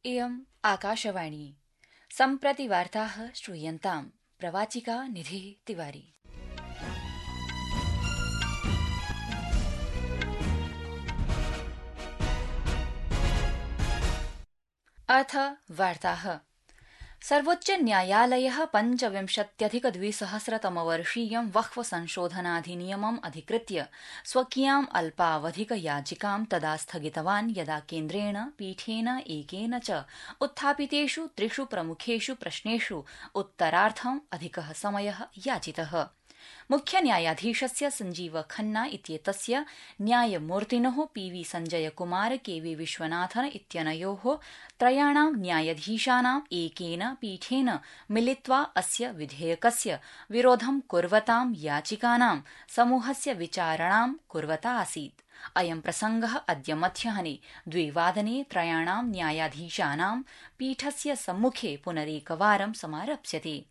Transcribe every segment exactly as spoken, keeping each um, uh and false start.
इयम् आकाशवाणी। सम्प्रति वार्ताः श्रूयन्ताम्। प्रवाचिका निधि तिवारी। अथ वार्ताः। सर्वोच्च न्यायालयः पञ्चविंशत्यधिक द्विसहस्रतमवर्षीयं वक्फ संशोधनाधिनियमम् अधिकृत्य स्वकीयाम् अल्पावधिक याचिकां तदा स्थगितवान् यदा केन्द्रेण पीठेन एकेन च उत्थापितेषु त्रिषु प्रमुखेषु प्रश्नेषु उत्तरार्थम् अधिकः समयः याचितः। मुख्य न्यायाधीशस्य संजीव खन्ना इत्येतस्य न्यायमूर्तिनोः पीवी संजय कुमार केवी विश्वनाथन इत्यनयोः त्रयाणां न्यायाधीशानाम् एकेन पीठेन मिलित्वा अस्य विधेयकस्य विरोधं कुर्वतां याचिकानां समूहस्य विचारणां कुर्वता आसीत्। अयं प्रसंगः अद्य मध्याह्ने द्विवादने त्रयाणां न्यायाधीशानां पीठस्य सम्मुखे पुनरेकवारं समारप्स्यते।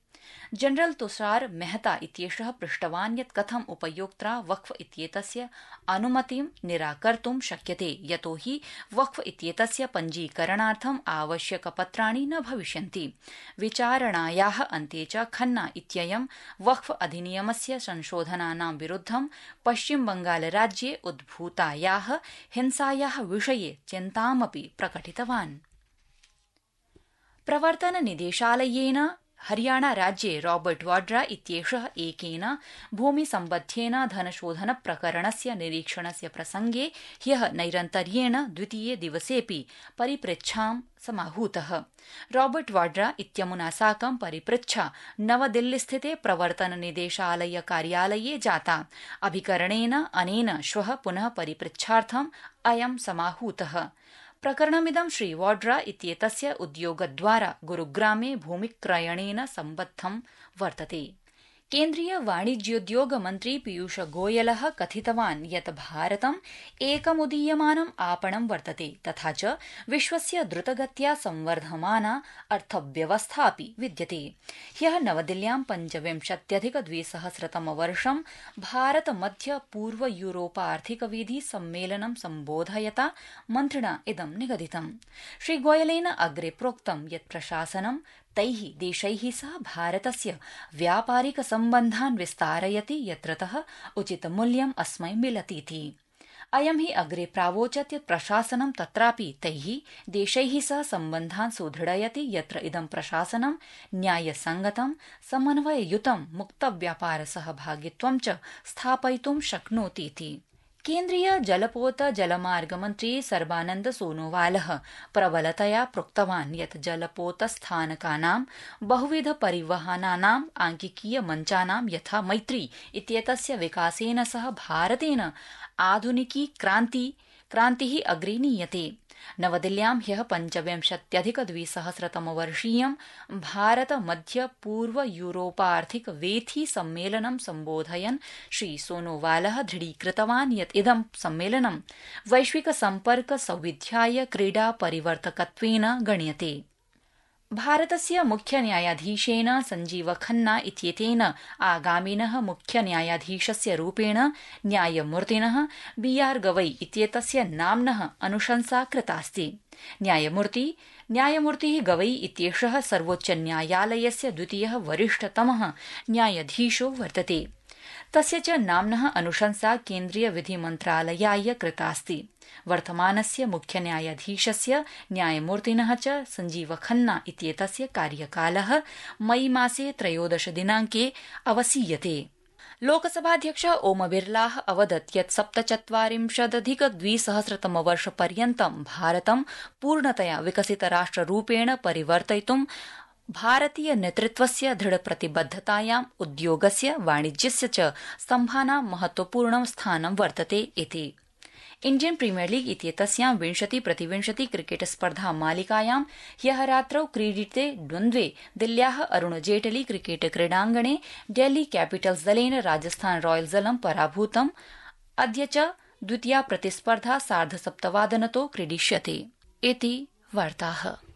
जनरल तुषार मेहता इत्येषः पृष्टवान् यत् कथम् उपयोक्त्रा वक्फ इत्येतस्य अनुमतिं निराकर्तुं शक्यते, यतो हि वक्फ इत्येतस्य पञ्जीकरणार्थम् आवश्यकपत्राणि न भविष्यन्ति। विचारणायाः अन्ते च खन्ना इत्ययं वक्फ अधिनियमस्य संशोधनानां विरुद्धं पश्चिम बंगालराज्ये उद्भूतायाः हिंसायाः विषये चिन्तामपि प्रकटितवान्। प्रवर्तन निदेशालयेन हरियाणा राज्ये रॉबर्ट वाड्रा इत्येषः एकेन भूमिसम्बद्धेन धनशोधन प्रकरणस्य निरीक्षणस्य प्रसंगे ह्यः नैरन्तर्येण द्वितीये दिवसेऽपि परिपृच्छां समाहूतः। रॉबर्ट वाड्रा इत्यमुना साकं परिपृच्छा नवदिल्लीस्थिते प्रवर्तन निदेशालय कार्यालये जाता। अभिकरणेन अनेन श्वः पुनः परिपृच्छार्थम् अयं समाहूतः। प्रकरणमिदं श्री वाड्रा इत्येतस्य उद्योगद्वारा गुरुग्रामे भूमिक्रयणेन सम्बद्धं वर्तते। केन्द्रीय वाणिज्योद्योग मन्त्री पीयूष गोयलः कथितवान् यत् भारतम् एकमुदीयमानम् आपणं वर्तते, तथा च विश्वस्य द्रुतगत्या संवर्धमाना अर्थव्यवस्था अपि विद्यते। ह्यः नवदिल्ल्यां पञ्चविंशत्यधिक द्विसहस्रतमवर्षं भारत मध्य पूर्व यूरोपार्थिकवेदी सम्मेलनं सम्बोधयता मन्त्रिणा इदं निगदितम्। श्री गोयलेन अग्रे प्रोक्तं यत् प्रशासनं तैः देशैः सह भारतस्य व्यापारिक सम्बन्धान् विस्तारयति यत्रतः उचितमूल्यम् अस्मै मिलतीति। अयं हि अग्रे प्रावोचत् यत् प्रशासनं तत्रापि तैः देशैः सह सम्बन्धान् सुदृढयति यत्र इदं प्रशासनं न्यायसंगतं समन्वययुतं मुक्तव्यापार सहभागित्वं च स्थापयितुं शक्नोतीति। केन्द्रीय जलपोत जलमार्ग मन्त्री सर्बानन्द सोनोवालः प्रबलतया प्रोक्तवान् यत् जलपोतस्थानकानां बहुविध परिवहनानाम् आंकिकीय मञ्चानां यथा मैत्री इत्येतस्य विकासेन सह भारतेन आधुनिकी क्रान्ति क्रान्तिः अग्रे नीयते। नवदिल्ल्यां ह्यः पञ्चविंशत्यधिक द्विसहस्रतमवर्षीयं भारत मध्य पूर्व यूरोपार्थिक वेथी सम्मेलनं सम्बोधयन् श्री सोनोवालः दृढीकृतवान् यत् इदं सम्मेलनं वैश्विक सम्पर्क सौविध्याय क्रीडा परिवर्तकत्वेन गण्यते। भारतस्य मुख्य न्यायाधीशेन संजीव खन्ना इत्येतेन आगामिनः मुख्य न्यायाधीशस्य रूपेण न्यायमूर्तिनः बी आर गवई इत्येतस्य नाम्नः अनुशंसा कृतास्ति। न्यायमूर्ति न्यायमूर्तिः गवई इत्येषः सर्वोच्च न्यायालयस्य द्वितीयः वरिष्ठतमः न्यायाधीशो वर्तते। तस्य च नाम्नः अनुशंसा केन्द्रीय विधि मन्त्रालयाय कृतास्ति। वर्तमानस्य मुख्य न्यायाधीशस्य न्यायमूर्तिनः च संजीव खन्ना इत्येतस्य कार्यकालः मई मासे त्रयोदश दिनाङ्के अवसीयते। लोकसभाध्यक्ष ओम बिरलाः अवदत् यत् सप्तचत्वारिंशदधिक द्विसहस्रतमवर्षपर्यन्तं भारतं पूर्णतया विकसितराष्ट्ररूपेण परिवर्तयितुं भारतीय नेतृत्वस्य दृढप्रतिबद्धतायाम् उद्योगस्य वाणिज्यस्य च स्तम्भानां महत्वपूर्णं स्थानं वर्तते इति। इण्डियन प्रीमियर लीग इत्येतस्यां विंशति प्रतिविंशति क्रिकेट स्पर्धा मालिकायां ह्यः रात्रौ क्रीडिते द्वन्द्वे दिल्ल्याः अरुण जेटली क्रिकेट क्रीडाङ्गणे डेल्ही कैपिटल्स दलेन राजस्थान रॉयल्स दलं पराभूतम्। अद्य च द्वितीया प्रतिस्पर्धा सार्धसप्तवादनतो क्रीडिष्यते इति वार्ताः।